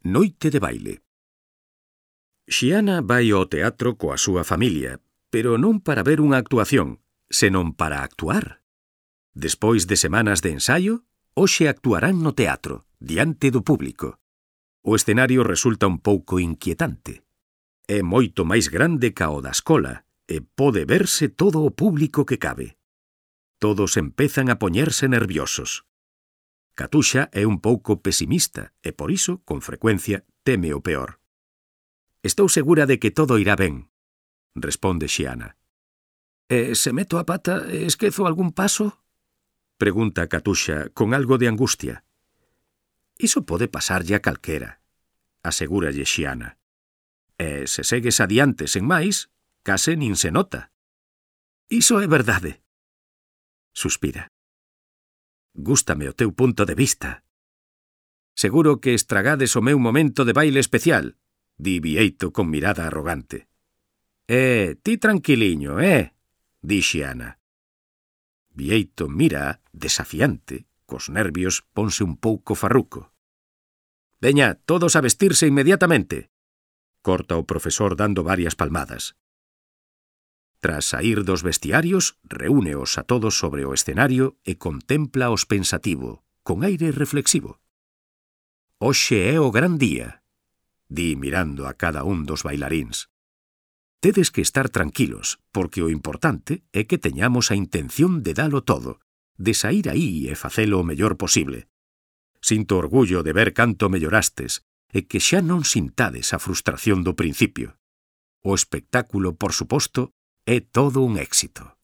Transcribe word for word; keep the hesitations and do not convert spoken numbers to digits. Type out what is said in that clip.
Noite de baile. Xiana vai ao teatro coa súa familia, pero non para ver unha actuación, senón para actuar. Despois de semanas de ensaio, hoxe actuarán no teatro, diante do público. O escenario resulta un pouco inquietante. É moito máis grande ca o da escola e pode verse todo o público que cabe. Todos empezan a poñerse nerviosos. Catuxa é un pouco pesimista e, por iso, con frecuencia, teme o peor. «Estou segura de que todo irá ben», responde Xiana. «E se meto a pata e esquezo algún paso?» pregunta Catuxa con algo de angustia. «Iso pode pasarlle a calquera», asegúralle Xiana. «E se segues adiante sen máis, case nin se nota». «Iso é verdade», suspira. «Gústame o teu punto de vista». «Seguro que estragades o meu momento de baile especial», di Bieito con mirada arrogante. «Eh, ti tranquiliño, eh?» di Xiana. Bieito mira, desafiante, cos nervios ponse un pouco farruco. «Veña, todos a vestirse inmediatamente», corta o profesor dando varias palmadas. Tras saír dos vestiarios, reúneos a todos sobre o escenario e contémplaos pensativo, con aire reflexivo. «Hoxe é o gran día», di mirando a cada un dos bailaríns. «Tedes que estar tranquilos, porque o importante é que teñamos a intención de dalo todo, de saír aí e facelo o mellor posible. Sinto orgullo de ver canto mellorastes e que xa non sintades a frustración do principio. O espectáculo, por suposto, é todo un éxito».